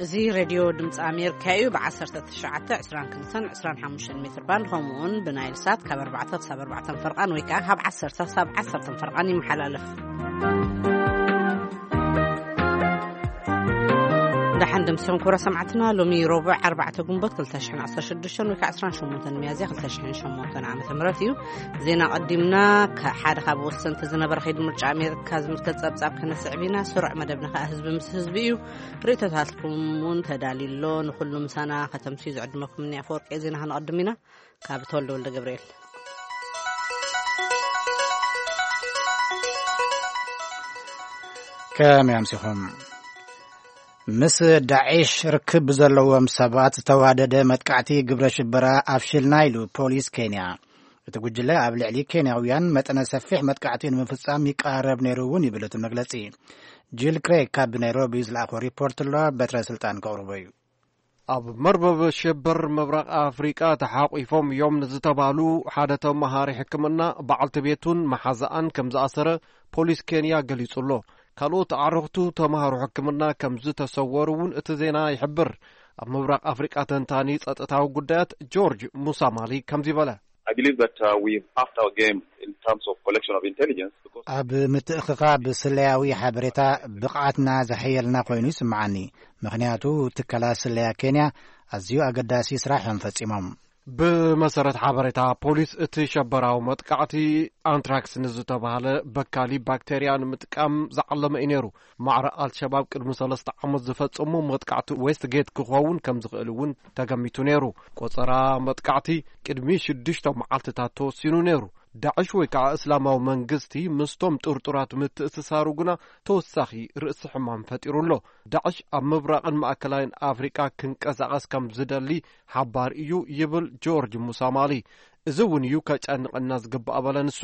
እዚ ሬድዮ ድምፂ ኣሜሪካ እዩ። ብ1922-25 ሜትር ባንድ፣ ከምኡውን ብናይል ሳት ካብ ኣርባዕተ ክሳብ ኣርባዕተ ፈርቓን ወይ ከዓ ካብ ዓሰርተ ክሳብ ዓሰርተ ፈርቓን ይመሓላለፍ። ደሓን ደምሲኹም ክቡራ ሰማዕትና። ሎሚ ረቡዕ ኣርባዕተ ግንቦት ክልተ ሽሕን ዓሰርተ ሽዱሽተን ወይ ከዓ ዓሰርተ ሸሞንተን ሚያዝያ ክልተ ሽሕን ሸሞንተን ዓመተ ምህረት እዩ። ዜና ቀዲምና፣ ከ-፣ ሓደ ካብ ወሰንቲ ዝነበረ ከይዲ ምርጫ ኣሜሪካ ዝምልከት ጸብጻብ ከነስዕብ ኢና። ስሩዕ መደብና ከዓ ህዝቢ ምስ ህዝቢ እዩ። ርእይቶታትኩም እውን ተዳልዩ ኣሎ። ንኹሉ ምሳና ከተምስዩ ዝዕድመኩም እኒ ኣፈወርቂ ዜና ክንቐድም ኢና። ካብ ተወልደ ወልደ ገብርኤል። ከመይ ኣምሲኹም? ምስ ዳዒሽ ርክብ ብዘለዎም ሰባት ዝተዋደደ መጥቃዕቲ ግብረ ሽበራ ኣፍሽልና ኢሉ ፖሊስ ኬንያ። እቲ ጉጅለ ኣብ ልዕሊ ኬንያውያን መጠነ ሰፊሕ መጥቃዕቲ ንምፍጻም ይቃረብ ነይሩ እውን ይብል እቲ መግለጺ። ጂል ክሬግ ካብ ናይሮቢ ዝለኣኾ ሪፖርት ኣሎ፣ በትረ ስልጣን ከቕርቦ እዩ። ኣብ መርበብ ሽብር ምብራቕ ኣፍሪቃ ተሓቂፎም እዮም ንዝተባሉ ሓደ ተመሃሪ ሕክምና በዓልቲ ቤቱን መሓዛኣን ከም ዝኣሰረ ፖሊስ ኬንያ ገሊጹ ኣሎ። ካልኦት ኣዕሩኽቱ ተምሃሮ ሕክምና ከም ዝተሰወሩ እውን እቲ ዜና ይሕብር። ኣብ ምብራቕ ኣፍሪቃ ተንታኒ ጸጥታዊ ጉዳያት ጆርጅ ሙሳማሊ ከምዚ በለ። I believe that, uh, we've upped our game in terms of collection of intelligence because ኣብ ምትእኽኻብ ስለያዊ ሓበሬታ ብቕዓትና ዘሐየልና ኮይኑ ይስምዓኒ። ምኽንያቱ ትካላት ስለያ ኬንያ ኣዝዩ ኣገዳሲ ስራሕ እዮም ፈጺሞም። ብመሰረት ሓበሬታ ፖሊስ፣ እቲ ሸበራዊ መጥቃዕቲ ኣንትራክስ ንዝተባህለ በካሊ ባክቴርያ ንምጥቃም ዝዓለመ እዩ ነይሩ። ማዕረ ኣልሸባብ ቅድሚ ሰለስተ ዓመት ዝፈጸሞ መጥቃዕቲ ዌስትጌት ክኸውን ከም ዝኽእል እውን ተገሚቱ ነይሩ። ቆጸራ መጥቃዕቲ ቅድሚ ሽዱሽተ መዓልትታት ተወሲኑ ነይሩ። ዳዕሽ ወይ ከዓ እስላማዊ መንግስቲ ምስቶም ጥርጡራት ምትእስሳሩ ግና ተወሳኺ ርእሲ ሕማም ፈጢሩ ኣሎ። ዳዕሽ ኣብ ምብራቕን ማእከላይን ኣፍሪቃ ክንቀሳቐስ ከም ዝደሊ ሓባር እዩ ይብል ጆርጅ ሙሳማሊ። እዚ እውን እዩ ከጨንቐና ዝግባእ በለ ንሱ።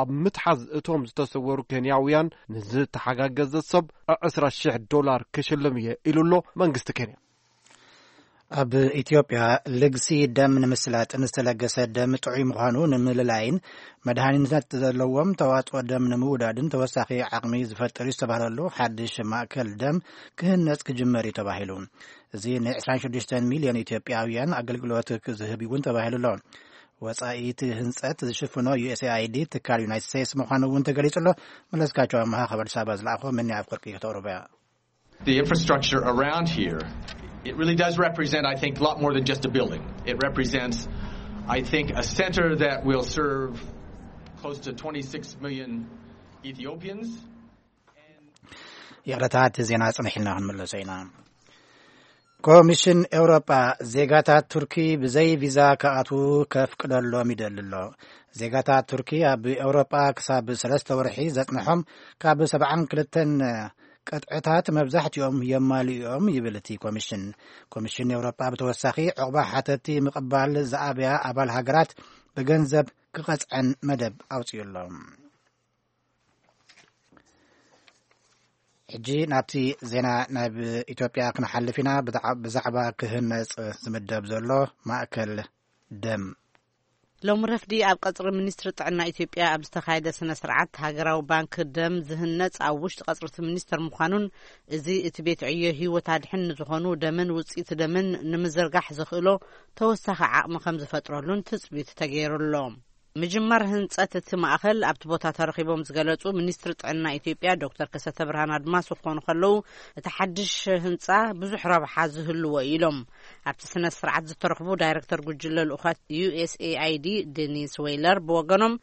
ኣብ ምትሓዝ እቶም ዝተሰወሩ ኬንያውያን ንዝተሓጋገዘ ሰብ ዕስራ ሺሕ ዶላር ክሽልም እየ ኢሉ ኣሎ መንግስቲ ኬንያ። ኣብ ኢትዮጵያ ልግሲ ደም ንምስላጥን ዝተለገሰ ደም ጥዑይ ምዃኑ ንምልላይን መድሃኒትነት ዘለዎም ተዋፅኦ ደም ንምውዳድን ተወሳኺ ዓቕሚ ዝፈጥር እዩ ዝተባህለሉ ሓድሽ ማእከል ደም ክህነፅ ክጅመር እዩ ተባሂሉ። እዚ ን ዕስራን ሽዱሽተን ሚልዮን ኢትዮጵያውያን ኣገልግሎት ክዝህብ እውን ተባሂሉ ኣሎ። ወፃኢ እቲ ህንፀት ዝሽፍኖ ዩ ኤስ ኤ ኣይ ዲ ትካል ዩናይትድ ስቴትስ ምዃኑ እውን ተገሊጹ ኣሎ። መለስካቸው ኣመሃ ካብ ኣዲስ ኣበባ ዝለኣኾ መኒ ኣፍወርቂ ከተቕርቦ እያ። The infrastructure around here, it really does represent, I think, a lot more than just a building. It represents, I think, a center that will serve close to twenty-six million Ethiopians. ይቕረታ፣ እቲ ዜና ጽንሕ ኢልና ክንምለሶ ኢና። ኮሚሽን ኤውሮጳ ዜጋታት ቱርኪ ብዘይ ቪዛ ክኣትዉ ከፍቅደሎም ይደሊ ኣሎ። ዜጋታት ቱርኪ ኣብ ኤውሮጳ ክሳብ ሰለስተ ወርሒ ዘጽንሖም ካብ ሰብዓን ክልተን ቅጥዕታት መብዛሕትኦም የማልኡ እዮም ይብል እቲ ኮሚሽን። ኮሚሽን ኤውሮጳ ብተወሳኺ ዕቑባ ሓተቲ ምቕባል ዝኣበያ ኣባል ሃገራት ብገንዘብ ክቐጽዐን መደብ ኣውጺኡ ኣሎ። ሕጂ ናብቲ ዜና ናብ ኢትዮጵያ ክንሓልፍ ኢና። ብዛዕ-፣ ብዛዕባ ክህነጽ ዝምደብ ዘሎ ማእከል ደም። ሎሚ ረፍዲ ኣብ ቀጽሪ ሚኒስትሪ ጥዕና ኢትዮጵያ ኣብ ዝተኻየደ ስነ ስርዓት፣ ሃገራዊ ባንክ ደም ዝህነጽ ኣብ ውሽጢ ቀጽሪ እቲ ሚኒስተር ምዃኑን፣ እዚ እቲ ቤት ዕዮ ህይወት ኣድሕን ንዝኾኑ ደምን ውጽኢት ደምን ንምዝርጋሕ ዘኽእሎ ተወሳኺ ዓቕሚ ከም ዝፈጥረሉን ትጽቢት ተገይሩ ኣሎ። ምጅማር ህንጸት እቲ ማእከል ኣብቲ ቦታ ተረኺቦም ዝገለጹ ሚኒስትሪ ጥዕና ኢትዮጵያ ዶክተር ከሰተ ብርሃን ኣድማሱ ክኾኑ ከለዉ፣ እቲ ሓድሽ ህንጻ ብዙሕ ረብሓ ዝህልዎ እዩ ኢሎም። ኣብቲ ስነ ስርዓት ዝተረኽቡ ዳይረክተር ጉጅለ ልኡኻት ዩ ኤስ ኤ ኣይ ዲ ዴኒስ ዌይለር ብወገኖም፣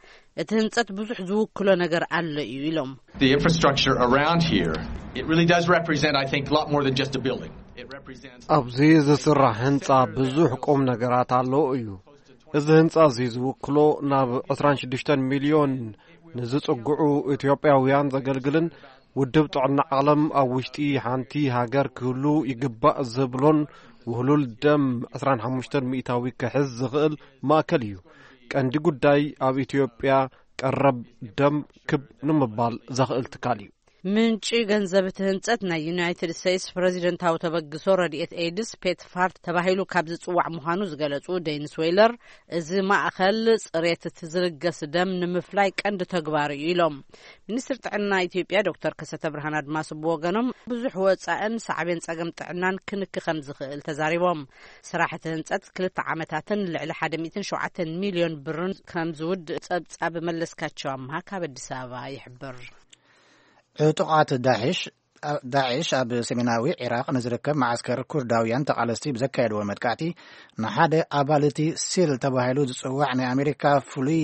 እቲ ህንጸት ብዙሕ ዝውክሎ ነገር ኣሎ እዩ ኢሎም። The infrastructure around here, it really does represent, I think, a lot more than just a building. It represents ኣብዚ ዝስራሕ ህንጻ ብዙሕ ቁም ነገራት ኣለዎ እዩ። እዚ ህንጻ እዚ ዝውክሎ ናብ ዕስራን ሽዱሽተን ሚልዮን ንዝጽግዑ ኢትዮጵያውያን ዘገልግልን ውድብ ጥዕና ዓለም ኣብ ውሽጢ ሓንቲ ሃገር ክህሉ ይግባእ ዝብሎን ውህሉል ደም ዕስራን ሓሙሽተን ሚእታዊ ክሕዝ ዝኽእል ማእከል እዩ። ቀንዲ ጉዳይ ኣብ ኢትዮጵያ ቀረብ ደም ክብ ንምባል ዘኽእል ትካል እዩ። ምንጪ ገንዘብ እቲ ህንጸት ናይ ዩናይትድ ስቴትስ ፕረዚደንታዊ ተበግሶ ረድኤት ኤድስ ፔት ፋርት ተባሂሉ ካብ ዝጽዋዕ ምዃኑ ዝገለጹ ዴኒስ ዌይለር፣ እዚ ማእኸል ጽሬት እቲ ዝልገስ ደም ንምፍላይ ቀንዲ ተግባር እዩ ኢሎም። ሚኒስትር ጥዕና ኢትዮጵያ ዶክተር ከሰተ ብርሃን ኣድማሱ ብወገኖም፣ ብዙሕ ወጻእን ሳዕቤን ጸገም ጥዕናን ክንክ ከም ዝኽእል ተዛሪቦም። ስራሕ እቲ ህንጸት ክልተ ዓመታትን ልዕሊ ሓደ ሚእትን ሸውዓተን ሚልዮን ብርን ከም ዝውድእ ጸብጻብ መለስካቸው ኣምሃ ካብ ኣዲስ ኣበባ ይሕብር። ዕጡቓት ዳዕሽ ዳዕሽ ኣብ ሰሜናዊ ዒራቕ ንዝርከብ መዓስከር ኩርዳውያን ተቓለስቲ ብዘካየድዎ መጥቃዕቲ፣ ንሓደ ኣባል እቲ ሲል ተባሂሉ ዝጽዋዕ ናይ ኣሜሪካ ፍሉይ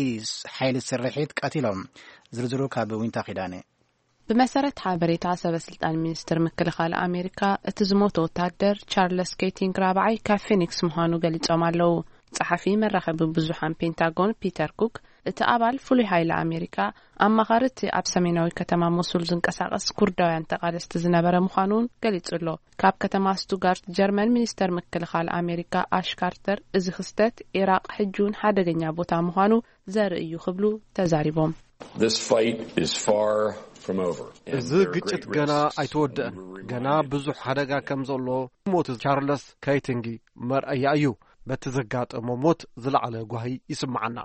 ሓይሊ ስርሒት ቀቲሎም። ዝርዝሩ ካብ ዊንታ ኪዳነ። ብመሰረት ሓበሬታ ሰበ ስልጣን ሚኒስትር ምክልኻል ኣሜሪካ፣ እቲ ዝሞተ ወታደር ቻርለስ ኬቲንግ ራብዓይ ካብ ፊኒክስ ምዃኑ ገሊጾም ኣለዉ። ጸሓፊ መራኸቢ ብዙሓን ፔንታጎን ፒተር ኩክ፣ እቲ ኣባል ፍሉይ ሓይሊ ኣሜሪካ፣ ኣማኻሪ እቲ ኣብ ሰሜናዊ ከተማ ሞሱል ዝንቀሳቐስ ኩርዳውያን ተቓለስቲ ዝነበረ ምዃኑ እውን ገሊጹ ኣሎ። ካብ ከተማ ስቱጋርት ጀርመን፣ ሚኒስተር ምክልኻል ኣሜሪካ ኣሽ ካርተር፣ እዚ ክስተት፣ ኢራቕ ሕጂ እውን ሓደገኛ ቦታ ምዃኑ ዘርኢ እዩ ክብሉ ተዛሪቦም። This fight is far from over, and እዚ there are ግጭት great ገና risks ኣይተወደአን። and we ገና remind ብዙሕ ሓደጋ ከም ዘሎ፣ ሞት ቻርለስ ከይቲንጊ መርኣያ እዩ። በቲ ዘጋጠሞ ሞት ዝለዓለ ጓሂ ይስምዓና።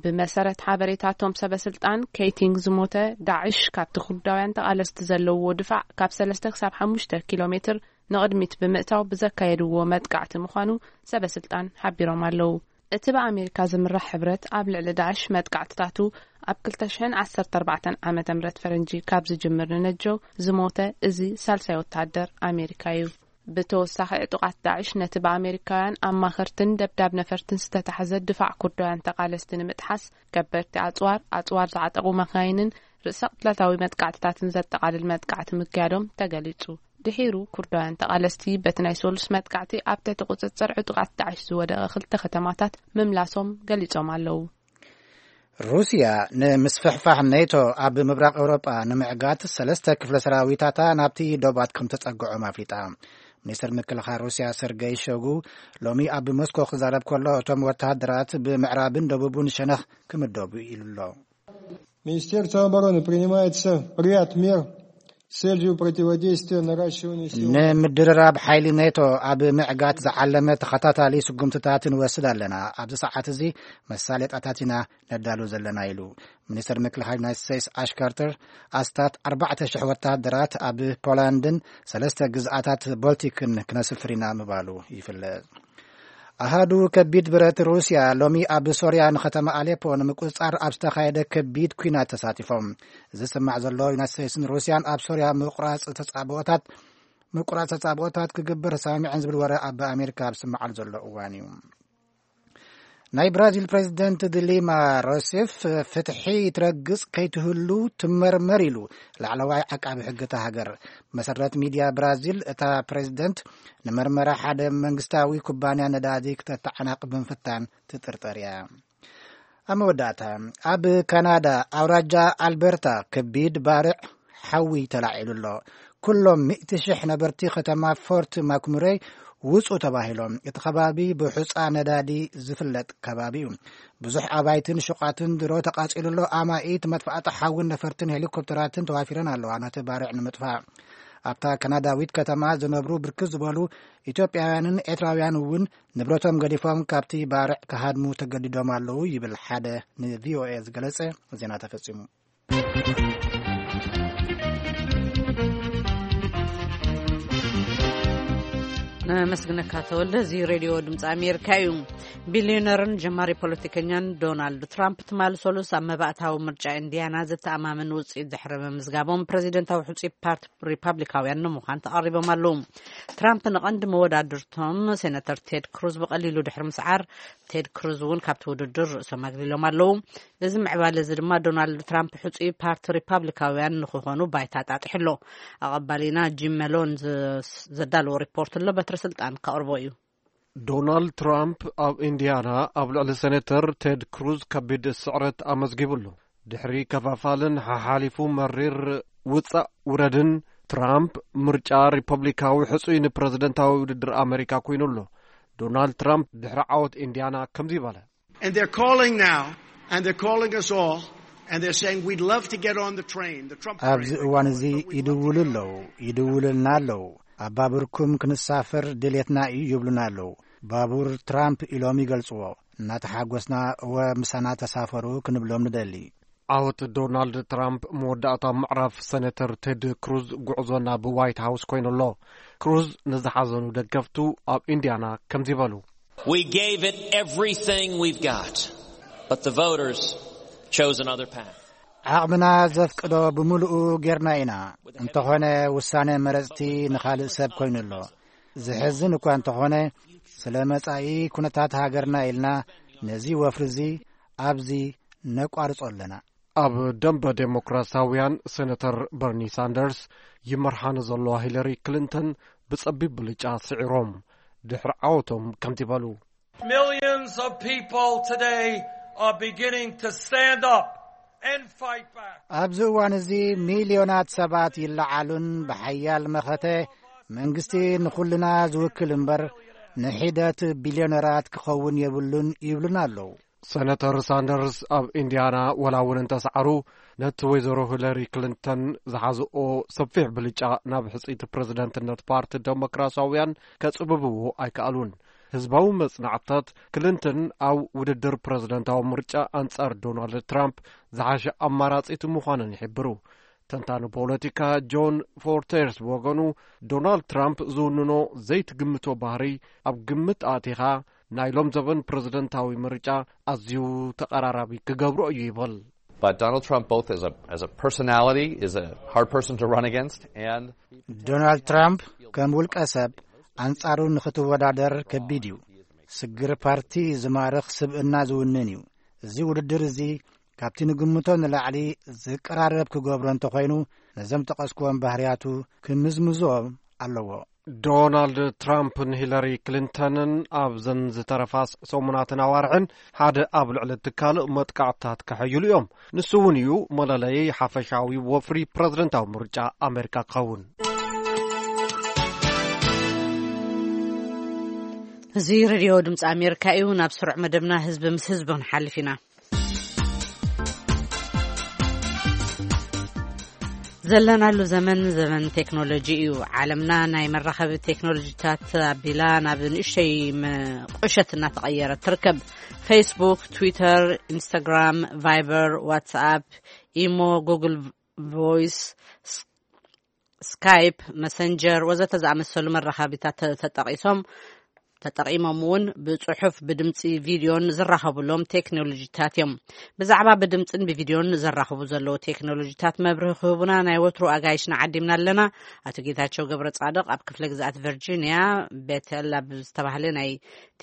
ብመሰረት ሓበሬታቶም ሰበ ስልጣን፣ ከይቲንግ ዝሞተ ዳዕሽ ካብቲ ኩርዳውያን ተቓለስቲ ዘለውዎ ድፋዕ ካብ ሰለስተ ክሳብ ሓሙሽተ ኪሎ ሜትር ንቕድሚት ብምእታው ብዘካየድዎ መጥቃዕቲ ምዃኑ ሰበ ስልጣን ሓቢሮም ኣለዉ። እቲ ብኣሜሪካ ዝምራሕ ሕብረት ኣብ ልዕሊ ዳዕሽ መጥቃዕትታቱ ኣብ ክልተ ሽሕን ዓሰርተ ኣርባዕተን ዓመተ ምህረት ፈረንጂ ካብ ዝጅምር ንነጀው ዝሞተ እዚ ሳልሳይ ወታደር ኣሜሪካ እዩ። ብተወሳኺ፣ ዕጡቓት ዳዕሽ ነቲ ብኣሜሪካውያን ኣማኸርትን ደብዳብ ነፈርትን ዝተታሕዘ ድፋዕ ኩርዳውያን ተቓለስቲ ንምጥሓስ፣ ከበድቲ ኣጽዋር፣ ኣጽዋር ዝዓጠቑ መካይንን ርእሰ ቅትለታዊ መጥቃዕትታትን ዘጠቓልል መጥቃዕቲ ምክያዶም ተገሊጹ። ድሒሩ፣ ኩርዳውያን ተቓለስቲ በቲ ናይ ሶሉስ መጥቃዕቲ ኣብ ትሕቲ ቁጽጽር ዕጡቓት ዳዕሽ ዝወደቐ ክልተ ከተማታት ምምላሶም ገሊጾም ኣለዉ። ሩስያ ንምስፍሕፋሕ ኔቶ ኣብ ምብራቕ ኤውሮጳ ንምዕጋት ሰለስተ ክፍለ ሰራዊታታ ናብቲ ዶባት ከም ተጸግዖም ኣፍሊጣ። ሚኒስትር ምክልኻል ሩስያ ሰርገይ ሾጉ ሎሚ ኣብ ሞስኮ ክዛረብ ከሎ፣ እቶም ወተሃደራት ብምዕራብን ደቡብን ሸነኽ ክምደቡ ኢሉ ኣሎ። Министерство обороны принимается ряд мер с целью противодействия наращивания сил. ንምድርራብ ሓይሊ ኔቶ ኣብ ምዕጋት ዝዓለመ ተኸታታሊ ስጉምትታት ንወስድ ኣለና። ኣብዚ ሰዓት እዚ መሳለጣታት ኢና ነዳሉ ዘለና ኢሉ። ሚኒስትር ምክልኻል ዩናይትድ ስቴትስ ኣሽ ካርተር፣ ኣስታት ኣርባዕተ ሽሕ ወታደራት ኣብ ፖላንድን ሰለስተ ግዝኣታት ቦልቲክን ክነስፍር ኢና ምባሉ ይፍለጥ። ኣሃዱ ከቢድ ብረት ሩስያ ሎሚ ኣብ ሶርያ ንከተማ ኣሌፖ ንምቁጽጻር ኣብ ዝተኻየደ ከቢድ ኲናት ተሳቲፎም። እዚ ዝስማዕ ዘሎ፣ ዩናይትድ ስቴትስን ሩስያን ኣብ ሶርያ ምቁራጽ ተጻብኦታት፣ ምቁራጽ ተጻብኦታት ክግበር ተሰማሚዐን ዝብል ወረ ኣብ ኣሜሪካ ኣብ ዝስማዓሉ ዘሎ እዋን እዩ። ናይ ብራዚል ፕሬዚደንት ዲሊማ ሮሴፍ፣ ፍትሒ ትረግጽ ከይትህሉ ትመርመር ኢሉ ላዕለዋይ ዓቃቢ ሕጊ እታ ሃገር። መሰረት ሚድያ ብራዚል፣ እታ ፕሬዚደንት ንመርመራ ሓደ መንግስታዊ ኩባንያ ነዳዲ ክተተዓናቕ ብምፍታን ትጥርጠር እያ። ኣብ መወዳእታ፣ ኣብ ካናዳ ኣውራጃ ኣልበርታ ከቢድ ባርዕ ሓዊ ተላዒሉ ኣሎ። ኩሎም ሚእቲ ሽሕ ነበርቲ ከተማ ፎርት ማክሙረይ ውጹ ተባሂሎም። እቲ ከባቢ ብሑጻ ነዳዲ ዝፍለጥ ከባቢ እዩ። ብዙሕ ኣባይትን ሹቓትን ድሮ ተቓጺሉ ኣሎ። ኣማኢት መጥፋእቲ ሓዊን ነፈርትን ሄሊኮፕተራትን ተዋፊረን ኣለዋ ነቲ ባርዕ ንምጥፋእ። ኣብታ ካናዳዊት ከተማ ዝነብሩ ብርክት ዝበሉ ኢትዮጵያውያንን ኤርትራውያን እውን ንብረቶም ገዲፎም ካብቲ ባርዕ ክሃድሙ ተገዲዶም ኣለዉ ይብል ሓደ ንቪኦኤ ዝገለጸ። ዜና ተፈጺሙ። ነመስግነካ ተወልደ። እዚ ሬድዮ ድምፂ ኣሜሪካ እዩ። ቢልዮነርን ጀማሪ ፖለቲከኛን ዶናልድ ትራምፕ ትማሊ ሰሉስ ኣብ መባእታዊ ምርጫ ኢንዲያና ዘተኣማምን ውፅኢት ድሕሪ ምምዝጋቦም፣ ፕሬዚደንታዊ ሕፁይ ፓርቲ ሪፓብሊካውያን ንምዃን ተቐሪቦም ኣለዉ። ትራምፕ ንቐንዲ መወዳድርቶም ሴናተር ቴድ ክሩዝ ብቐሊሉ ድሕሪ ምስዓር፣ ቴድ ክሩዝ እውን ካብቲ ውድድር ርእሶም ኣግሊሎም ኣለዉ። እዚ ምዕባለ እዚ ድማ ዶናልድ ትራምፕ ሕጹይ ፓርቲ ሪፓብሊካውያን ንክኾኑ ባይታ ጣጢሑ ኣሎ። ኣቐባሊና ጂም መሎን ዘ-፣ ዘዳለዎ ሪፖርት ኣሎ፣ በትሪ ስልጣን ከቕርቦ እዩ። ዶናልድ ትራምፕ ኣብ ኢንዲያና ኣብ ልዕሊ ሴኔተር ቴድ ክሩዝ ከቢድ ስዕረት ኣመዝጊቡ ኣሎ። ድሕሪ ከፋፋልን ሓሓሊፉ መሪር ውጻእ ውረድን፣ ትራምፕ ምርጫ ሪፐብሊካዊ ሕጹይ ንፕረዚደንታዊ ውድድር ኣመሪካ ኮይኑ ኣሎ። ዶናልድ ትራምፕ ድሕሪ ዓወት ኢንዲያና ከምዚ በለ። And they're calling now, and they're calling us all And they're saying, "We'd love to get on the train." The Trump ኣብዚ train. እዋን እዚ ይድውሉ ኣለዉ፣ ይድውሉልና ኣለዉ። ኣብ ባቡርኩም ክንሳፈር ድሌትና እዩ ይብሉና ኣለዉ። ባቡር ትራምፕ ኢሎም ይገልጽዎ። እናተሓጎስና፣ እወ፣ ምሳና ተሳፈሩ ክንብሎም ንደሊ። ዓወት ዶናልድ ትራምፕ መወዳእታ ምዕራፍ ሰነተር ቴድ ክሩዝ ጉዕዞ ናብ ዋይት ሃውስ ኮይኑ ኣሎ። ክሩዝ ንዝሓዘኑ ደገፍቱ ኣብ ኢንዲያና ከምዚ በሉ። We gave it everything we've got, but the voters chose another path. ዓቕምና ዘፍቅዶ ብምሉኡ ጌርና ኢና። እንተኾነ ውሳነ መረጽቲ ንኻልእ ሰብ ኮይኑ ኣሎ። ዝሕዝን እኳ እንተኾነ፣ ስለ መጻኢ ኩነታት ሃገርና ኢልና ነዚ ወፍሪ እዚ ኣብዚ ነቋርጾ ኣለና። ኣብ ደንበ ዴሞክራሲያውያን፣ ሴነተር በርኒ ሳንደርስ ይመርሓ ንዘለዋ ሂለሪ ክሊንተን ብጸቢብ ብልጫ ስዒሮም። ድሕሪ ዓወቶም ከምቲ በሉ። Millions of people today are beginning to stand up and fight back. ኣብዚ እዋን እዚ ሚልዮናት ሰባት ይለዓሉን ብሓያል መኸተ መንግስቲ ንኹልና ዝውክል እምበር ንሒደት ቢልዮነራት ክኸውን የብሉን ይብሉና ኣለዉ። ሰነተር ሳንደርስ ኣብ ኢንዲያና ወላ እውን እንተሰዓሩ፣ ነቲ ወይዘሮ ሂለሪ ክሊንተን ዝሓዝኦ ሰፊሕ ብልጫ ናብ ሕጽይቲ ፕረዚደንትነት ፓርቲ ደሞክራሲያውያን ከጽብብዎ ኣይከኣሉን። ህዝባዊ መጽናዕትታት፣ ክሊንተን ኣብ ውድድር ፕረዚደንታዊ ምርጫ ኣንጻር ዶናልድ ትራምፕ ዝሓሸ ኣማራጺት ምዃነን ይሕብሩ። ተንታኒ ፖለቲካ ጆን ፎርተርስ ብወገኑ፣ ዶናልድ ትራምፕ ዝውንኖ ዘይትግምቶ ባህሪ ኣብ ግምት ኣእቲኻ፣ ናይ ሎም ዘበን ፕረዚደንታዊ ምርጫ ኣዝዩ ተቐራራቢ ክገብሮ እዩ ይብል። But Donald Trump, both as a as a personality, is a hard person to run against, and ዶናልድ ትራምፕ ከም ውልቀ ሰብ ኣንጻሩ ንኽትወዳደር ከቢድ እዩ። ስግር ፓርቲ ዝማርኽ ስብእና ዝውንን እዩ። እዚ ውድድር እዚ ካብቲ ንግምቶ ንላዕሊ ዝቀራረብ ክገብሮ እንተኾይኑ፣ ነዞም ጠቐስክዎም ባህርያቱ ክምዝምዞም ኣለዎ። ዶናልድ ትራምፕን ሂለሪ ክሊንተንን ኣብዘን ዝተረፋ ሰሙናትን ኣዋርሕን ሓደ ኣብ ልዕሊ እቲ ካልእ መጥቃዕትታት ከሐይሉ እዮም። ንሱ እውን እዩ መለለዪ ሓፈሻዊ ወፍሪ ፕረዚደንታዊ ምርጫ ኣሜሪካ ክኸውን። እዚ ሬድዮ ድምፂ ኣሜሪካ እዩ። ናብ ስሩዕ መደብና ህዝቢ ምስ ህዝቢ ክንሓልፍ ኢና። ዘለናሉ ዘመን ዘመን ቴክኖሎጂ እዩ። ዓለምና ናይ መራኸቢ ቴክኖሎጂታት ኣቢላ ናብ ንእሽተይ መቆሸት እናተቐየረት ትርከብ። ፌስቡክ፣ ትዊተር፣ ኢንስታግራም፣ ቫይበር፣ ዋትስኣፕ፣ ኢሞ፣ ጉግል ቮይስ፣ ስካይፕ፣ መሰንጀር ወዘተ ዝኣመሰሉ መራኸቢታት ተጠቂሶም ተጠቒሞም እውን ብጽሑፍ፣ ብድምጺ፣ ቪድዮን ዝራኸቡሎም ቴክኖሎጂታት እዮም። ብዛዕባ ብድምጽን ብቪድዮን ዘራኽቡ ዘለዉ ቴክኖሎጂታት መብርሂ ክህቡና ናይ ወትሩ ኣጋይሽና ዓዲምና ኣለና። ኣቶ ጌታቸው ገብረ ጻድቕ ኣብ ክፍለ ግዝኣት ቨርጂኒያ ቤተል ኣብ ዝተባህለ ናይ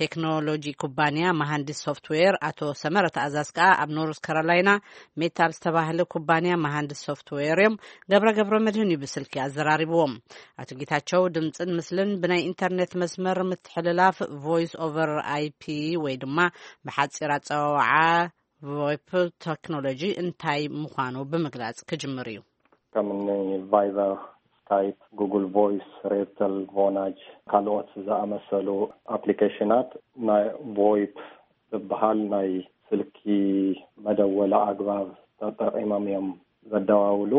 ቴክኖሎጂ ኩባንያ መሃንዲስ ሶፍትዌር፣ ኣቶ ሰመረ ተኣዛዝ ከኣ ኣብ ኖርዝ ካሮላይና ሜታ ኣብ ዝተባህለ ኩባንያ መሃንዲስ ሶፍትዌር እዮም። ገብረ ገብረ መድህን እዩ ብስልኪ ኣዘራሪብዎም። ኣቶ ጌታቸው ድምፅን ምስልን ብናይ ኢንተርኔት መስመር ምትሕልላፍ ቮይስ ኦቨር ኣይፒ ወይ ድማ ብሓፂር ኣፀዋውዓ ቮይፕ ቴክኖሎጂ እንታይ ምዃኑ ብምግላፅ ክጅምር እዩ። ከም እኒ ቫይበር፣ ስካይፕ፣ ጉግል ቮይስ፣ ሬፕተል፣ ቮናጅ ካልኦት ዝኣመሰሉ ኣፕሊኬሽናት ናይ ቮይፕ ዝበሃል ናይ ስልኪ መደወሊ ኣግባብ ተጠቒሞም እዮም ዘደዋውሉ።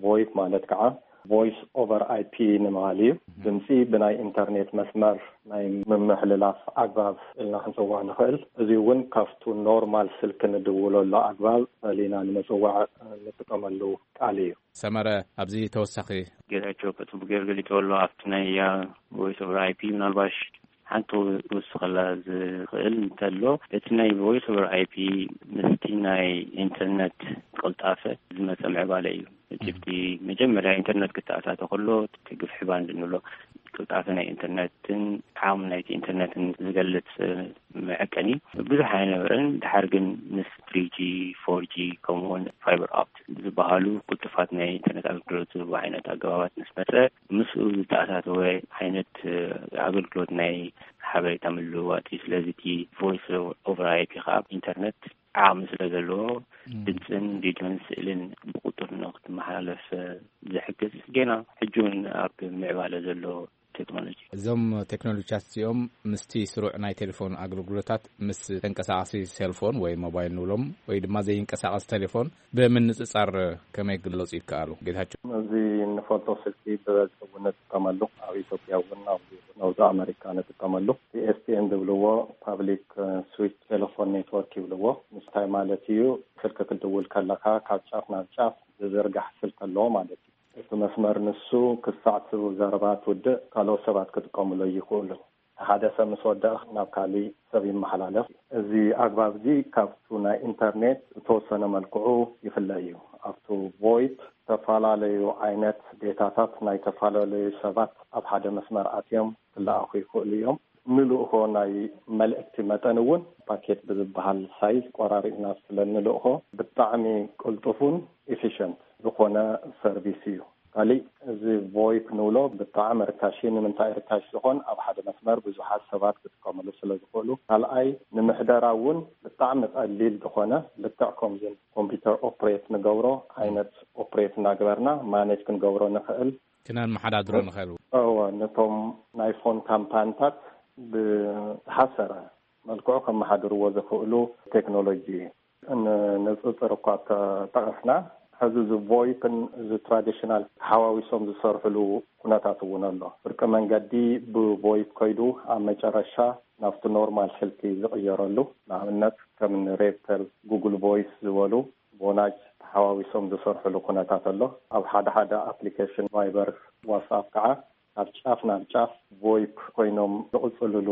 ቮይፕ ማለት ከዓ ቮይስ ኦቨር ኣይፒ ንምባል እዩ። ድምፂ ብናይ ኢንተርኔት መስመር ናይ ምምሕልላፍ ኣግባብ ኢልና ክንፅውዖ ንኽእል። እዚ እውን ካብቱ ኖርማል ስልኪ ንድውለሉ ኣግባብ ፈሊና ንምፅዋዕ እንጥቀመሉ ቃል እዩ። ሰመረ ኣብዚ ተወሳኺ ጌታቸው ከፅቡ ገይሩ ገሊፅዎ ኣሎ። ኣብቲ ናይ ያ ቮይስ ኦቨር ኣይፒ ምናልባሽ ሓንቲ ክውስኸላ ዝኽእል እንተሎ፣ እቲ ናይ ቮይስ ኦቨር ኣይፒ ምስቲ ናይ ኢንተርነት ቅልጣፈ ዝመፀ ምዕባለ እዩ። እቲ መጀመርያ ኢንተርነት ክተኣታተ ከሎ እቲ ግፍሒ ባንድ ንብሎ ቅልጣፈ ናይ ኢንተርነትን ዓቕሚ ናይቲ ኢንተርነትን ዝገልፅ መዐቀኒ ብዙሕ ኣይነበረን። ድሓር ግን ምስ ትሪ ጂ፣ ፎር ጂ ከምኡውን ፋይበር ኦፕት ዝበሃሉ ቅልጡፋት ናይ ኢንተርነት ኣገልግሎት ዝህቡ ዓይነት ኣገባባት ምስ መፀ ምስኡ ዝተኣታተወ ዓይነት ኣገልግሎት ናይ ሓበሬታ ምልውዋጥ እዩ። ስለዚ እቲ ቮይስ ኦቨር ኣይፒ ከዓ ኢንተርነት ዓቕሚ ስለ ዘለዎ ድምፅን ቪድዮን ስእልን ብቁጡር ንክትመሓላለፍ ዝሕግዝ ገና ሕጂ እውን ኣብ ምዕባለ ዘሎ ቴክኖሎጂ። እዞም ቴክኖሎጂታት እዚኦም ምስቲ ስሩዕ ናይ ቴሌፎን ኣገልግሎታት ምስ ተንቀሳቓሲ ሴልፎን ወይ ሞባይል ንብሎም ወይ ድማ ዘይንቀሳቐስ ቴሌፎን ብምንጽጻር ከመይ ክግለጹ ይከኣሉ? ጌታቸው። እዚ እንፈልጦ ስልኪ ብበዝሒ እውን ንጥቀመሉ፣ ኣብ ኢትዮጵያ እውን፣ ኣብ ኖርዝ ኣሜሪካ ንጥቀመሉ፣ ፒኤስቲኤን ዝብልዎ፣ ፓብሊክ ስዊች ቴሌፎን ኔትወርክ ይብልዎ። ምስታይ ማለት እዩ፣ ስልኪ ክትድውል ከለኻ ካብ ጫፍ ናብ ጫፍ ዝዝርጋሕ ስልኪ ኣለዎ ማለት እዩ። እቲ መስመር ንሱ ክሳዕ እቲ ዘረባ ትውድእ ካልኦት ሰባት ክጥቀምሉ ይኽእሉ። ሓደ ሰብ ምስ ወደኣ ናብ ካሊእ ሰብ ይመሓላለፍ። እዚ ኣግባብ እዚ ካብቱ ናይ ኢንተርኔት ብተወሰነ መልክዑ ይፍለ እዩ። ኣብቱ ቮይፕ ዝተፈላለዩ ዓይነት ዴታታት ናይ ዝተፈላለዩ ሰባት ኣብ ሓደ መስመር ኣትዮም ክለኣኹ ይኽእሉ እዮም። ንልእኾ ናይ መልእክቲ መጠን እውን ፓኬት ብዝበሃል ሳይዝ ቆራሪጥና ስለ ንልእኾ ብጣዕሚ ቅልጡፉን ኢፊሽንት ዝኾነ ሰርቪስ እዩ። ካሊእ እዚ ቮይፕ ንብሎ ብጣዕሚ ርካሽ እዩ። ንምንታይ ርካሽ ዝኾን? ኣብ ሓደ መስመር ብዙሓት ሰባት ክጥቀምሉ ስለ ዝኽእሉ። ካልኣይ ንምሕደራ እውን ብጣዕሚ ቀሊል ዝኾነ ልክዕ ከምዚ ኮምፒውተር ኦፕሬት ንገብሮ ዓይነት ኦፕሬት እናገበርና ማኔጅ ክንገብሮ ንኽእል። ክነመሓዳድሮ ንኽእል። እወ፣ ነቶም ናይ ፎን ካምፓኒታት ብዝሓሰረ መልክዑ ከመሓድርዎ ዝኽእሉ ቴክኖሎጂ እዩ። ንንፅፅር እኳ ተጠቐስና፣ ሕዚ እዚ ቮይፕን እዚ ትራዲሽናል ተሓዋዊሶም ዝሰርሕሉ ኩነታት እውን ኣሎ። ፍርቂ መንገዲ ብቮይፕ ከይዱ ኣብ መጨረሻ ናብቲ ኖርማል ስልኪ ዝቕየረሉ፣ ንኣብነት ከም ሬድተል፣ ጉግል ቮይስ ዝበሉ፣ ቮናጅ ተሓዋዊሶም ዝሰርሕሉ ኩነታት ኣሎ። ኣብ ሓደ ሓደ ኣፕሊኬሽን ቫይበር፣ ዋትስኣፕ ከዓ ካብ ጫፍ ናብ ጫፍ ቮይፕ ኮይኖም ዝቕፅልሉ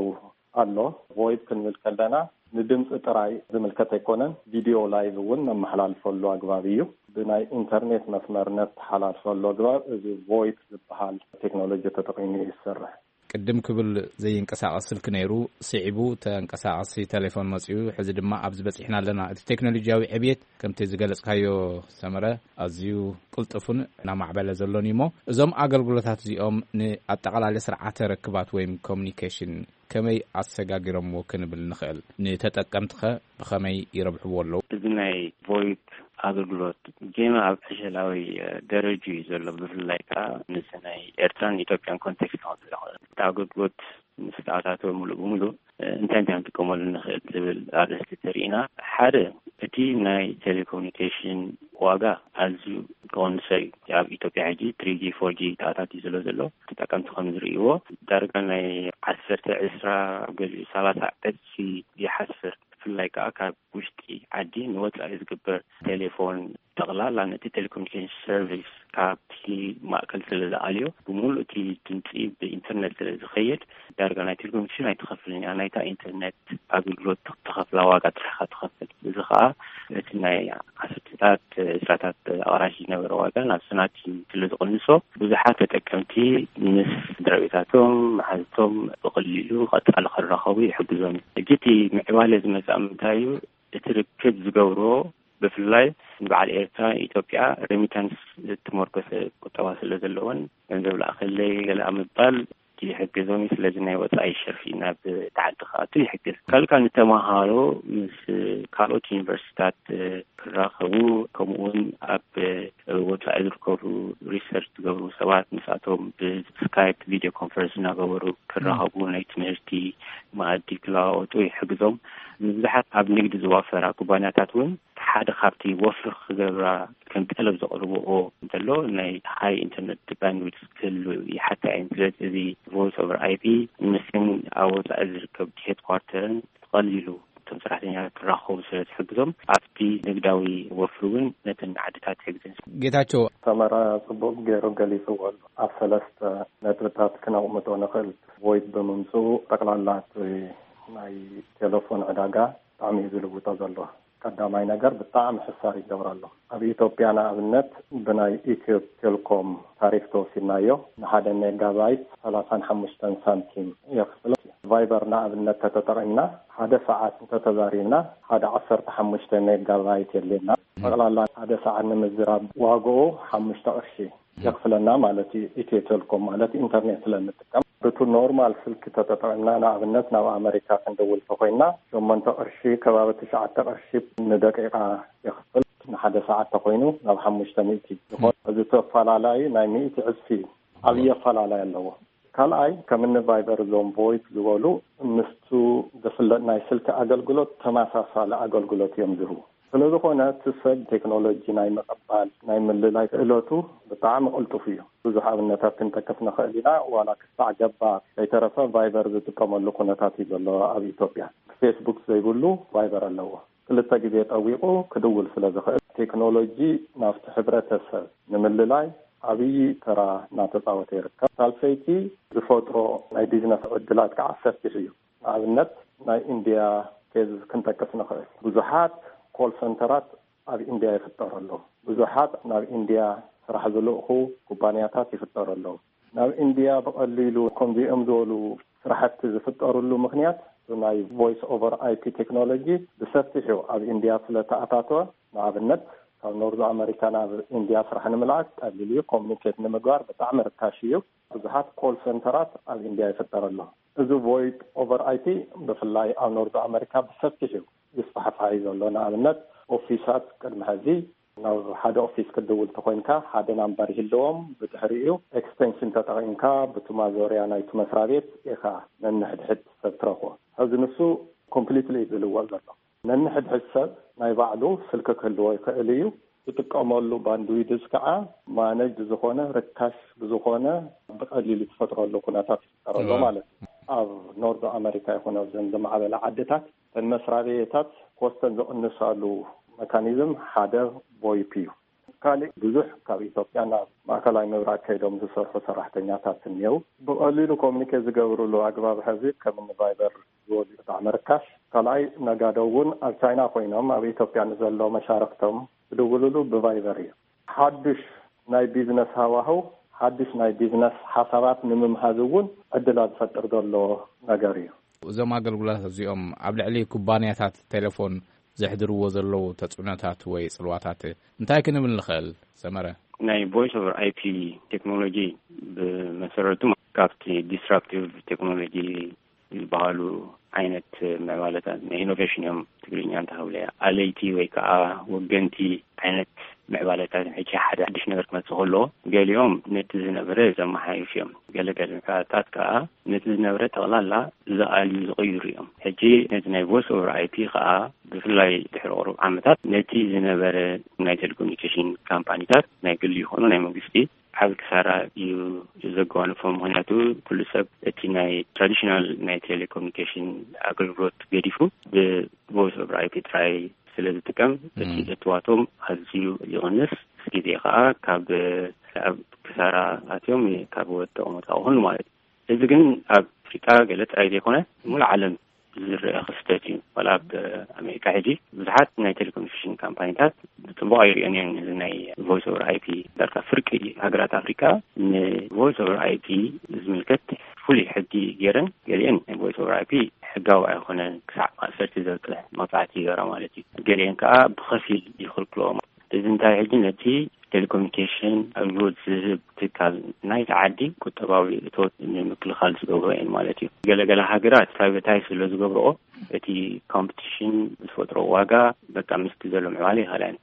ኣሎ። ቮይፕ ክንብል ከለና ንድምፂ ጥራይ ዝምልከት ኣይኮነን፣ ቪድዮ ላይቭ እውን ነመሓላልፈሉ ኣግባብ እዩ። ብናይ ኢንተርኔት መስመር ነተሓላልፈሉ ኣግባብ እዚ ቮይፕ ዝበሃል ቴክኖሎጂ ተጠቒሙ እዩ ዝሰርሕ። ቅድም ክብል ዘይንቀሳቐስ ስልኪ ነይሩ፣ ስዒቡ ተንቀሳቐሲ ቴሌፎን መጺኡ፣ ሕዚ ድማ ኣብዚ በጺሕና ኣለና። እቲ ቴክኖሎጂያዊ ዕብየት ከምቲ ዝገለጽካዮ ሰመረ ኣዝዩ ቅልጡፍን እናማዕበለ ዘሎን እዩ እሞ፣ እዞም ኣገልግሎታት እዚኦም ንኣጠቓላሊ ስርዓተ ርክባት ወይም ኮሚኒኬሽን ከመይ ኣሰጋጊሮምዎ ክንብል ንኽእል? ንተጠቀምትኸ ብኸመይ ይረብሕዎ ኣለዉ? እዚ ናይ ቮይፕ ኣገልግሎት ጌና ኣብ ዕሸላዊ ደረጃ እዩ ዘሎ። ብፍላይ ከዓ ንዚ ናይ ኤርትራን ኢትዮጵያን ኮንቴክስት ክወስድ ይኽእል። እቲ ኣገልግሎት ምስ ተኣታተወ ሙሉእ ብሙሉእ እንታይ እንታይ ክንጥቀመሉ ንኽእል ዝብል ኣርእስቲ ተሪእና፣ ሓደ እቲ ናይ ቴሌኮሙኒኬሽን ዋጋ ኣዝዩ ክቐንሶ እዩ። ኣብ ኢትዮጵያ ሕጂ ትሪ ጂ ፎር ጂ ተኣታትዩ ስለ ዘሎ፣ ተጠቀምቲ ከም ዝርእይዎ ዳርጋ ናይ ዓሰርተ ዕስራ፣ ኣብ ገሊኡ ሰላሳ ዕጽፊ ይሓስር። ብፍላይ ከዓ ካብ ውሽጢ ዓዲ ንወፃኢ ዝግበር ቴሌፎን ጠቕላላ ነቲ ቴሌኮሙኒኬሽን ሰርቪስ ካብቲ ማእከል ስለ ዝኣልዮ፣ ብምሉእ እቲ ድምፂ ብኢንተርኔት ስለ ዝኸይድ፣ ዳርጋ ናይ ቴሌኮሙኒኬሽን ኣይትኸፍልን እያ፣ ናይታ ኢንተርኔት ኣገልግሎት ትኸፍላ ዋጋ ጥራሕ ኢኻ ትኸፍል። እዚ ከዓ እቲ ናይ ዓሰርተታት፣ ዕስራታት ኣቕራሽ ዝነበረ ዋጋ ናብ ሰናቲ ስለ ዝቕንሶ፣ ብዙሓት ተጠቀምቲ ምስ ስድራ ቤታቶም፣ መሓዝቶም ብቐሊሉ ቀጻሊ ክራኸቡ ይሕግዞም እዩ። ሕጂ እቲ ምዕባለ ዝመጽእ ኣብ ምንታይ እዩ? እቲ ርክብ ዝገብሮ ብፍላይ ንበዓል ኤርትራ፣ ኢትዮጵያ ሬሚታንስ ዝተመርኮሰ ቁጠባ ስለ ዘለወን፣ ገንዘብ ለኣኸለይ ገለ ኣብ ምባል ይሕግዞም እዩ። ስለዚ ናይ ወጻኢ ሸርፊ ናብ እቲ ዓዲ ክኣቱ ይሕግዝ። ካልእ ንተመሃሮ ምስ ካልኦት ዩኒቨርሲቲታት ክራኸቡ፣ ከምኡ እውን ኣብ ወጻኢ ዝርከቡ ሪሰርች ዝገብሩ ሰባት ምስኣቶም ብስካይፕ ቪድዮ ኮንፈረንስ እናገበሩ ክራኸቡ፣ ናይ ትምህርቲ መኣዲ ክለዋወጡ ይሕግዞም። ንብዙሓት ኣብ ንግዲ ዝዋፈራ ኩባንያታት እውን ሓደ ካብቲ ወፍሪ ክገብራ ከም ጠለብ ዘቕርብኦ እንተሎ፣ ናይ ሃይ ኢንተርኔት ባንድዊድስ ክህሉ ይሓታ እየን። ስለዚ እዚ ቮይስ ኦቨር ኣይ ፒ ምስን ኣብ ወጻኢ ዝርከብ ሄድኳርተርን ቀሊሉ እቶም ሰራሕተኛታት ክራኸቡ ስለ ዝሕግዞም፣ ኣብቲ ንግዳዊ ወፍሪ እውን ነተን ዓድታት ይሕግዘን። ጌታቸው። ሰመረ ጽቡቕ ገይሩ ገሊጽዎ ኣሎ። ኣብ ሰለስተ ነጥብታት ክነቕምጦ ንኽእል። ቮይፕ ብምምጽኡ ጠቕላላ እቲ ናይ ቴሌፎን ዕዳጋ ብጣዕሚ እዩ ዝልውጦ ዘሎ። ቀዳማይ ነገር ብጣዕሚ ሕሳር ይገብሮ ኣሎ። ኣብ ኢትዮጵያ ንኣብነት ብናይ ኢትዮ ቴሌኮም ታሪፍ ተወሲድናዮ ንሓደ ሜጋባይት ሰላሳን ሓሙሽተን ሳንቲም የኽፍል። ቫይበር ንኣብነት ተተጠቒምና ሓደ ሰዓት እንተተዛሪብና ሓደ ዓሰርተ ሓሙሽተ ሜጋባይት የድልየና። ጠቕላላ ሓደ ሰዓት ንምዝራብ ዋግኡ ሓሙሽተ ቅርሺ የኽፍለና ማለት እዩ። ኢትዮ ቴሌኮም ማለት ኢንተርኔት ስለ እንጥቀም፣ ብቱ ኖርማል ስልኪ ተተጠቒምና ንኣብነት ናብ ኣመሪካ ክንደውል ተኾይንና ሸሞንተ ቅርሺ ከባቢ ትሽዓተ ቅርሺ ንደቂቓ የኽፍል። ንሓደ ሰዓት ተኾይኑ ናብ ሓሙሽተ ሚእቲ ይኾን። እዚ ተፈላለዩ ናይ ሚእቲ ዕጽፊ እዩ። ዓብዪ ኣፈላለይ ኣለዎ። ካልኣይ፣ ከም እኒ ቫይበር፣ እዞም ቮይፕ ዝበሉ ምስቱ ዝፍለጥ ናይ ስልኪ ኣገልግሎት ተመሳሳሊ ኣገልግሎት እዮም ዝህቡ። ስለ ዝኾነ እቲ ሰብ ቴክኖሎጂ ናይ ምቕባል፣ ናይ ምልላይ ክእለቱ ብጣዕሚ ቅልጡፍ እዩ። ብዙሕ ኣብነታት ክንጠቅስ ንኽእል ኢና። ዋላ ክሳዕ ገባር ከይተረፈ ቫይበር ዝጥቀመሉ ኩነታት እዩ ዘሎ ኣብ ኢትዮጵያ። ፌስቡክ ዘይብሉ ቫይበር ኣለዎ። ክልተ ግዜ ጠዊቑ ክድውል ስለ ዝኽእል፣ ቴክኖሎጂ ናብቲ ሕብረተሰብ ንምልላይ ዓብዪ ተራ እናተፃወተ ይርከብ። ሳልሰይቲ፣ ዝፈጥሮ ናይ ቢዝነስ ዕድላት ከዓ ሰፊሕ እዩ። ንኣብነት፣ ናይ ኢንድያ ኬዝ ክንጠቅስ ንኽእል። ብዙሓት ኮል ሰንተራት ኣብ ኢንድያ ይፍጠሩ ኣለዉ። ብዙሓት ናብ ኢንድያ ስራሕ ዝልእኹ ኩባንያታት ይፍጠሩ ኣለዉ። ናብ ኢንድያ ብቐሊሉ ከምዚኦም ዝበሉ ስራሕቲ ዝፍጠሩሉ ምኽንያት፣ ናይ ቮይስ ኦቨር ኣይፒ ቴክኖሎጂ ብሰፊሑ ኣብ ኢንድያ ስለ ተኣታተወ፣ ንኣብነት፣ ካብ ኖርዝ ኣመሪካ ናብ ኢንድያ ስራሕ ንምልኣክ ቀሊል እዩ። ኮሚኒኬት ንምግባር ብጣዕሚ ርካሽ እዩ። ብዙሓት ኮል ሰንተራት ኣብ ኢንድያ ይፍጠር ኣሎ። እዚ ቮይስ ኦቨር ኣይፒ ብፍላይ ኣብ ኖርዝ ኣመሪካ ብሰፊሑ ይስፋሕፋሕ እዩ ዘሎ። ንኣብነት፣ ኦፊሳት ቅድሚ ሕዚ ናብ ሓደ ኦፊስ ክትድውል ተኮይንካ፣ ሓደ ናምበር ይህልዎም። ብድሕሪኡ ኤክስቴንሽን ተጠቒምካ ብቲ ማዞርያ ናይቲ መስሪያ ቤት ኢኻ ነንሕድሕድ ሰብ ትረኽቦ። ሕዚ ንሱ ኮምፕሊትሊ እዩ ዝልወጥ ዘሎ። ነንሕድሕድ ሰብ ናይ ባዕሉ ስልኪ ክህልዎ ይኽእል እዩ። ዝጥቀመሉ ባንድዊድዝ ከዓ ማነጅ ዝኾነ፣ ርካሽ ብዝኾነ፣ ብቐሊሉ ዝፈጥረሉ ኩነታት ይፈጠረሉ ማለት እዩ። ኣብ ኖርዝ ኣመሪካ ይኹን ኣብዘን ዝማዕበላ ዓድታት፣ እተን መስሪያ ቤታት ኮስተን ዝቕንሳሉ መካኒዝም ሓደ ቮይፕ እዩ። ካልእ፣ ብዙሕ ካብ ኢትዮጵያ ናብ ማእከላይ ምብራቕ ከይዶም ዝሰርሑ ሰራሕተኛታት እኒአው። ብቐሊሉ ኮሚኒኬት ዝገብሩሉ ኣግባብ ሕዚ ከም እኒ ቫይበር ዝበሉ ብጣዕሚ ርካሽ። ካልኣይ፣ ነጋዶ እውን ኣብ ቻይና ኮይኖም ኣብ ኢትዮጵያ ንዘሎ መሻርክቶም ዝድውሉሉ ብቫይበር እዩ። ሓዱሽ ናይ ቢዝነስ ሃዋህው፣ ሓዱሽ ናይ ቢዝነስ ሓሳባት ንምምሃዝ እውን ዕድላት ዝፈጥር ዘሎ ነገር እዩ። እዞም ኣገልግሎታት እዚኦም ኣብ ልዕሊ ኩባንያታት ቴሌፎን ዘሕድርዎ ዘለዉ ተጽዕኖታት ወይ ጽልዋታት እንታይ ክንብል ንኽእል? ሰመረ። ናይ ቮይስ ኦቨር ኣይፒ ቴክኖሎጂ ብመሰረቱ ካብቲ ዲስራፕቲቭ ቴክኖሎጂ ዝበሃሉ ዓይነት ምዕባለታት፣ ናይ ኢኖቬሽን እዮም ትግርኛ እንተሃብለያ፣ ኣለይቲ ወይ ከዓ ወገንቲ ዓይነት ምዕባለታት እዮም። ሕጂ ሓደ ሓድሽ ነገር ክመፅእ ከሎ፣ ገሊኦም ነቲ ዝነበረ ዘመሓይሹ እዮም። ገለገለ ምዕባለታት ከዓ ነቲ ዝነበረ ጠቕላላ ዝኣልዩ ዝቕይሩ እዮም። ሕጂ ነቲ ናይ ቮይስ ኦቨር ኣይፒ ከዓ ብፍላይ ድሕሪ ቁሩብ ዓመታት ነቲ ዝነበረ ናይ ቴሌኮሙኒኬሽን ካምፓኒታት፣ ናይ ግሊ ይኹኑ ናይ መንግስቲ፣ ዓቢ ክሳራ እዩ ዘጓንፎ። ምኽንያቱ ኩሉ ሰብ እቲ ናይ ትራዲሽናል ናይ ቴሌኮሙኒኬሽን ኣገልግሎት ገዲፉ ብቮይስ ኦቨር ኣይፒ ጥራይ ስለ ዝጥቀም፣ እቲ እም። እትዋቶም ኣዝዩ ይቕንስ። ግዜ ከዓ ካብ ኣብ ክሳራ ኣትዮም ካብ ወደቑ መጻእኹን ማለት እዩ። እዚ ግን ኣብ ኣፍሪቃ ገለ ጥራይ ዘይኮነ፣ ሙሉእ ዓለም ዝረአ ክስተት እዩ። ዋላ ኣብ ኣሜሪካ ሕጂ ብዙሓት ናይ ቴሌኮሙኒኬሽን ካምፓኒታት ብጽቡቕ ኣይርእዮን እየን፣ እዚ ናይ ቮይስ ኦቨር ኣይፒ። ዳርጋ ፍርቂ ሃገራት ኣፍሪካ ንቮይስ ኦቨር ኣይፒ ዝምልከት ፍሉይ ሕጊ ገይረን፣ ገሊአን ናይ ቮይስ ኦቨር ኣይፒ ሕጋዊ ኣይኮነን፣ ክሳዕ ማእሰርቲ ዘብቅዕ መቕጻዕቲ ይገራ ማለት እዩ። ገሊአን ከዓ ብኸፊል ይኽልክልኦም። እዚ እንታይ፣ ሕጂ ነቲ ቴሌኮሙኒኬሽን ኣገልግሎት ዝህብ ትካል ናይቲ ዓዲ ቁጠባዊ እቶት ንምክልኻል ዝገብሮ እየን ማለት እዩ። ገለገለ ሃገራት ፕራይቬታይዝ ስለ ዝገብርኦ፣ እቲ ኮምፒቲሽን ዝፈጥሮ ዋጋ፣ በቃ፣ ምስቲ ዘሎ ምዕባለ ይኸላን።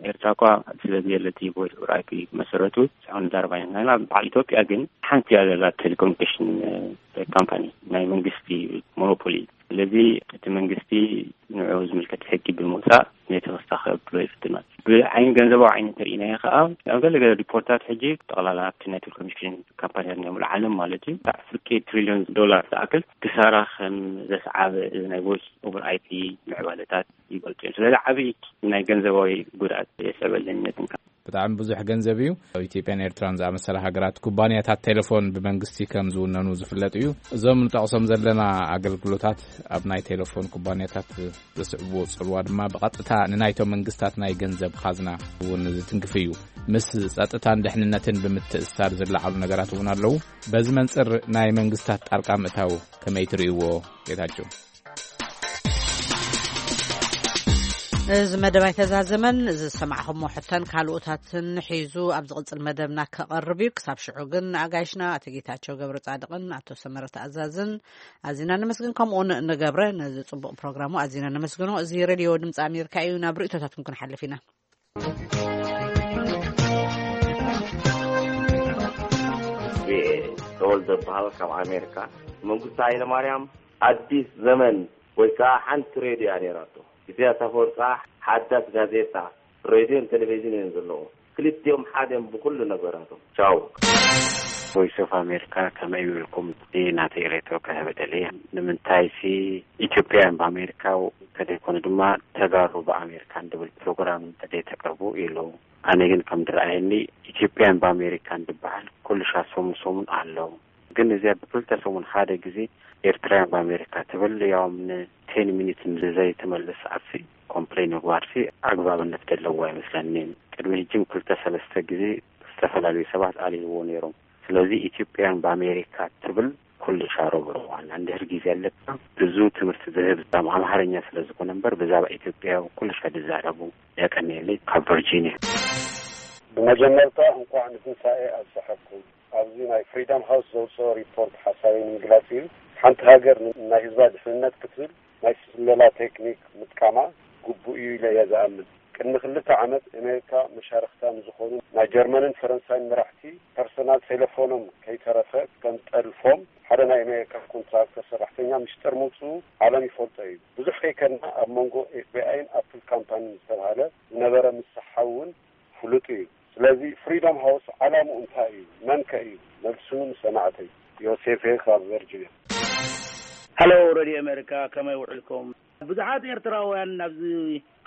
ኤርትራ እኳ ስለ ዘየለቲ ቮይስ ኦቨር ኣይፒ መሰረቱ ሳይሆን ዛረባ ኢና። በዓል ኢትዮጵያ ግን ሓንቲ እያ ዘላ ቴሌኮሙኒኬሽን፣ እ፣ ካምፓኒ፣ ናይ መንግስቲ ሞኖፖሊ። ስለዚ እቲ መንግስቲ ንዕኡ ዝምልከት ሕጊ ብምውፃእ ነቲ ክስታኸ ብሎ ይፍትን ማለት እዩ። ብዓይኒ ገንዘባዊ ዓይኒ እንተርኢናዮ ከዓ፣ ኣብ ገለ ገለ ሪፖርታት ሕጂ ጠቕላላ ኣብቲ ናይ ቴሌኮሙኒኬሽን ካምፓኒታት ናይ ሙሉእ ዓለም ማለት እዩ፣ ክሳዕ ፍርቂ ትሪልዮን ዶላር ዝኣክል ክሳራ ከም ዘስዓበ እዚ ናይ ቮይስ ኦቨር ኣይፒ ምዕባለታት ይገልፁ እዮም። ስለዚ ዓብዪ ናይ ገንዘባዊ ጉድኣት የስዕበለን ነትን። ብጣዕሚ ብዙሕ ገንዘብ እዩ። ኣብ ኢትዮጵያን ኤርትራን ዝኣመሰላ ሃገራት ኩባንያታት ቴሌፎን ብመንግስቲ ከም ዝውነኑ ዝፍለጥ እዩ። እዞም ንጠቕሶም ዘለና ኣገልግሎታት ኣብ ናይ ቴሌፎን ኩባንያታት ዘስዕብዎ ጽልዋ ድማ ብቐጥታ ንናይቶም መንግስታት ናይ ገንዘብ ኻዝና እውን ዝትንክፍ እዩ። ምስ ጸጥታን ድሕንነትን ብምትእስሳር ዝለዓሉ ነገራት እውን ኣለዉ። በዚ መንጽር ናይ መንግስታት ጣልቃ ምእታው ከመይ ትርእይዎ? ጌታቸው። እዚ መደብ ኣይተዛዘመን። እዚ ዝሰማዕኹሞ ሕቶን ካልኦታትን ሒዙ ኣብ ዝቕጽል መደብና ከቐርብ እዩ። ክሳብ ሽዑ ግን ንኣጋይሽና ኣቶ ጌታቸው ገብረ ጻድቕን ኣቶ ሰመረ ተኣዛዝን ኣዚና ነመስግን። ከምኡውን ንገብረ ነዚ ጽቡቕ ፕሮግራሙ ኣዚና ነመስግኖ። እዚ ሬድዮ ድምፂ ኣሜሪካ እዩ። ናብ ርእይቶታትኩም ክንሓልፍ ኢና። ተወልደ በሃል ካብ ኣሜሪካ። መንግስቲ ሃይለማርያም ኣዲስ ዘመን ወይ ከዓ ሓንቲ ሬድዮ እያ ነይራቶ። ኢሳያስ ኣፈወርቂ ከዓ ሓዳስ ጋዜጣ፣ ሬድዮን ቴሌቪዥን እየን ዘለዎ። ክልቲኦም ሓደ እዮም ብኩሉ ነገራቶም። ቻው። ቮይስ ኦፍ ኣሜሪካ፣ ከመይ ውዒልኩም? ናተይ ሬቶ ክህብ ደልየ። ንምንታይ ሲ ኢትዮጵያውያን ብኣሜሪካ እንተደይኮነ ድማ ተጋሩ ብኣሜሪካ እንድብል ፕሮግራም እንተደይተቅርቡ ኢሉ። ኣነ ግን ከም ዝረኣየኒ ኢትዮጵያን ብኣሜሪካን ዝበሃል ኩሉ ሻዕ ሰሙን ሰሙን ኣሎ። ግን እዚኣ ብክልተ ሰሙን ሓደ ግዜ ኤርትራውያን ብኣሜሪካ ትብል፣ ያውም ንቴን ሚኒት ንዘይትመልስ ሰዓትሲ ኮምፕሌን ምግባርሲ ኣግባብነት ዘለዎ ኣይመስለኒን። ቅድሚ ሕጂ ክልተ ሰለስተ ግዜ ዝተፈላለዩ ሰባት ኣልይዎ ነይሮም። ስለዚ ኢትዮጵያን ብኣሜሪካ ትብል ኩሉ ሻሮ ብርዋን እንድሕር ግዜ ኣለካ ብዙ ትምህርቲ ዝህብ ዛም ኣምሓርኛ ስለ ዝኾነ እምበር ብዛዕባ ኢትዮጵያ ኩሉ ሻ ዝዛረቡ። የቀንየለይ ካብ ቨርጂኒያ። ብመጀመርታ እንኳዕ ንትንሳኤ ኣብፀሐኩም። ኣብዚ ናይ ፍሪደም ሃውስ ዘውፅኦ ሪፖርት ሓሳበይ ንምግላፅ እዩ። ሓንቲ ሃገር ን- ናይ ህዝባ ድሕንነት ክትብል ናይ ስለላ ቴክኒክ ምጥቃማ ግቡእ እዩ ኢለ እየ ዝኣምን። ቅድሚ ክልተ ዓመት ኣሜሪካ መሻርክታ ንዝኾኑ ናይ ጀርመንን ፈረንሳይን መራሕቲ ፐርሰናል ቴሌፎኖም ከይተረፈ ከም ጠልፎም ሓደ ናይ ኣሜሪካ ኮንትራክተር ሰራሕተኛ ምሽጥር ምውፅኡ ዓለም ይፈልጦ እዩ። ብዙሕ ከይከድና ኣብ መንጎ ኤፍቢኣይን ኣፕል ካምፓኒን ዝተባሃለ ዝነበረ ምስሓው እውን ፍሉጥ እዩ። ስለዚ ፍሪደም ሃውስ ዓላምኡ እንታይ እዩ? መን ከ እዩ? መልሱ ንሰማዕተይ። ዮሴፍ ካብ ቨርጂኒያ። ሃሎ ሬድዮ ኣሜሪካ፣ ከመይ ውዕልኩም? ብዙሓት ኤርትራውያን ናብዚ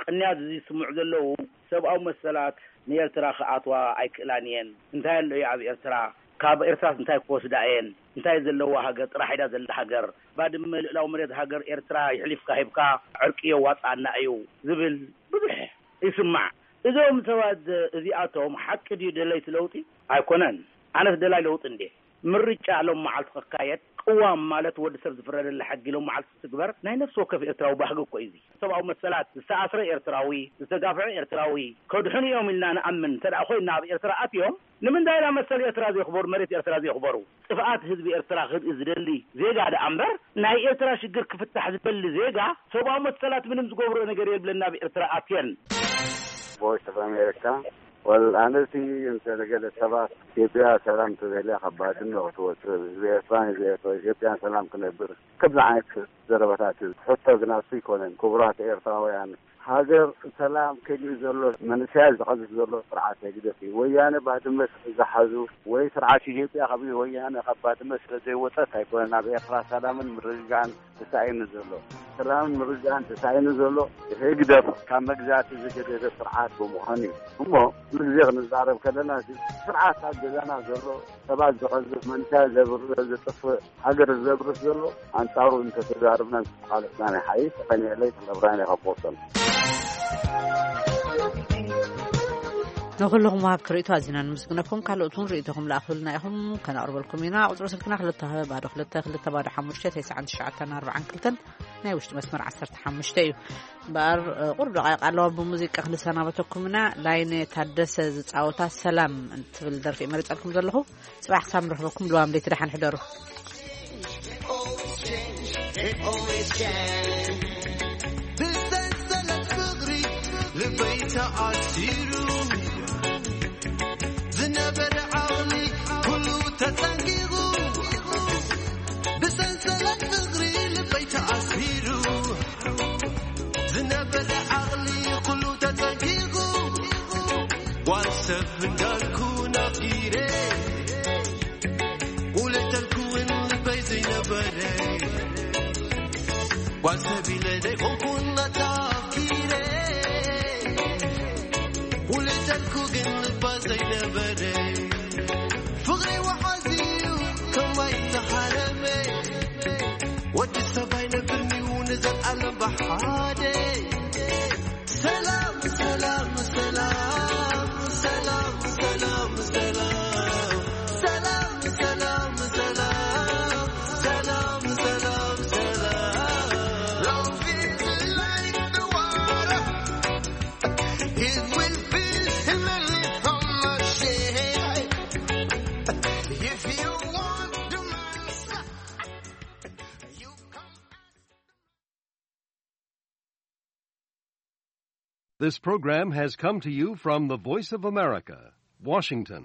ቅንያት እዚ ዝስምዑ ዘለዉ ሰብኣዊ መሰላት ንኤርትራ ክኣትዋ ኣይክእላን እየን። እንታይ ኣሎ እዩ ኣብ ኤርትራ? ካብ ኤርትራስ እንታይ ክወስዳ እየን? እንታይ ዘለዋ ሃገር ጥራሕ ኢዳ ዘላ ሃገር? ባድመ ልእላዊ መሬት ሃገር ኤርትራ ይሕሊፍካ ሂብካ ዕርቂ የዋፅኣና እዩ ዝብል ብዙሕ ይስማዕ። እዞም ሰባት እዚኣቶም ሓቂ ድዩ ደለይቲ ለውጢ? ኣይኮነን። ኣነስ ደላይ ለውጢ እንዴ? ምርጫ ሎም መዓልቲ ክካየድ፣ ቅዋም ማለት ወዲ ሰብ ዝፍረደላ ሕጊ ሎም መዓልቲ ትግበር ናይ ነፍሲ ወከፍ ኤርትራዊ ባህጊ እኮ እዩ። እዚ ሰብኣዊ መሰላት ዝተኣስረ ኤርትራዊ፣ ዝተጋፍዐ ኤርትራዊ ከድሕኑ እዮም ኢልና ንኣምን እንተ ደኣ ኮይና ኣብ ኤርትራ ኣትዮም ንምንታይ ኢና መሰል ኤርትራ ዘየኽበሩ፣ መሬት ኤርትራ ዘየኽበሩ? ጥፍኣት ህዝቢ ኤርትራ ክርኢ ዝደሊ ዜጋ ደኣ እምበር ናይ ኤርትራ ሽግር ክፍታሕ ዝደሊ ዜጋ ሰብኣዊ መሰላት ምንም ዝገብሮ ነገር የብለን ናብ ኤርትራ ኣትየን። ቮይስ ኦፍ ኣሜሪካ። ወል ኣነቲ እንተ ገለ ሰባት ኢትዮጵያ ሰላም ተደልያ ካብ ባድመ ክትወፅእ ህዝቢ ኤርትራን ህዝቢ ኤርትራ ኢትዮጵያን ሰላም ክነብር ክብል ዓይነት ዘረባታት እዩ። ሕቶ ግን ኣሱ ኣይኮነን። ክቡራት ኤርትራውያን ሃገር ሰላም ከሊኡ ዘሎ መንእሰያት ዝቐዝፍ ዘሎ ስርዓት ህግደፍ እዩ። ወያነ ባድመ ስለ ዝሓዙ ወይ ስርዓት ኢትዮጵያ ካብ ወያነ ካብ ባድመ ስለ ዘይወፀት ኣይኮነን ኣብ ኤርትራ ሰላምን ምርግጋዕን ተሳኢኑ ዘሎ። ሰላምን ምርግጋዕን ተሳኢኑ ዘሎ ህግደፍ ካብ መግዛእቲ ዝገደደ ስርዓት ብምዃኑ እዩ። እሞ ኩሉ ግዜ ክንዛረብ ከለና እዚ ስርዓት ኣብ ገዛና ዘሎ ሰባት ዝቐዝፍ መንእሰያት ዘብር ዘጥፍእ ሃገር ዘብርስ ዘሎ ኣንጻሩ እንተተዛርብና እንተተቓለስና ናይ ሓይሽ ተቐኒዕለይ ተነብራን የቐቦሰም። ንኹልኹም ወሃብቲ ርእይቶ ኣዚና ንምስግነኩም። ካልኦት እውን ርእይቶኹም ለኣኹልና ኢኹም፣ ከነቕርበልኩም ኢና። ቁጽሪ ስልክና ክልተ ባዶ ክልተ ክልተ ባዶ ሓሙሽተ ተስዓን ትሽዓተን ኣርባዓን ክልተን፣ ናይ ውሽጢ መስመር ዓሰርተ ሓሙሽተ እዩ። እምበኣር ቁሩብ ደቓይቕ ኣለዋ፣ ብሙዚቃ ክንሰናበተኩም ኢና። ላይነ ታደሰ ዝጻወታ ሰላም እትብል ደርፊ እየ መሪጸልኩም ዘለኹ። ጽባሕ ክሳብ ንረኽበኩም ልዋም ለይቲ ደሓን ሕደሩ። ብሰንሰለት ፍቕሪ ልበይ ተኣሲሩ ዝነበረ ዓቕሊ ኩሉ ተጸንጊቑ። ብሰንሰለት ፍቕሪ ልበይ ተኣሲሩ ዝነበረ ዓቕሊ ኩሉ ተጸንጊቑ። ጓል ሰብ እንዳልኩ ናፊረ ውለተልኩ እውን ልበይ ዘይነበረ ጓል ሰብ ኢለ ዘይኮንኩን ኣታኪረ ውለተልኩ ግን ልባ ዘይነበረ ፍቕሪ ወሓዚ እዩ ከማይ ተሓረመ ወዲ ሰብ ኣይነብርንዩ ንዘልኣለም ብሓደ ሰላም ሰላም ሰላም ሰላም ሰላም ሰላም ሰላም ሰላም ሰላም ሰላም ሰላም Love is like the water. It will fill in the little machine. If you want the master, you come. This program has come to you from the Voice of America, Washington.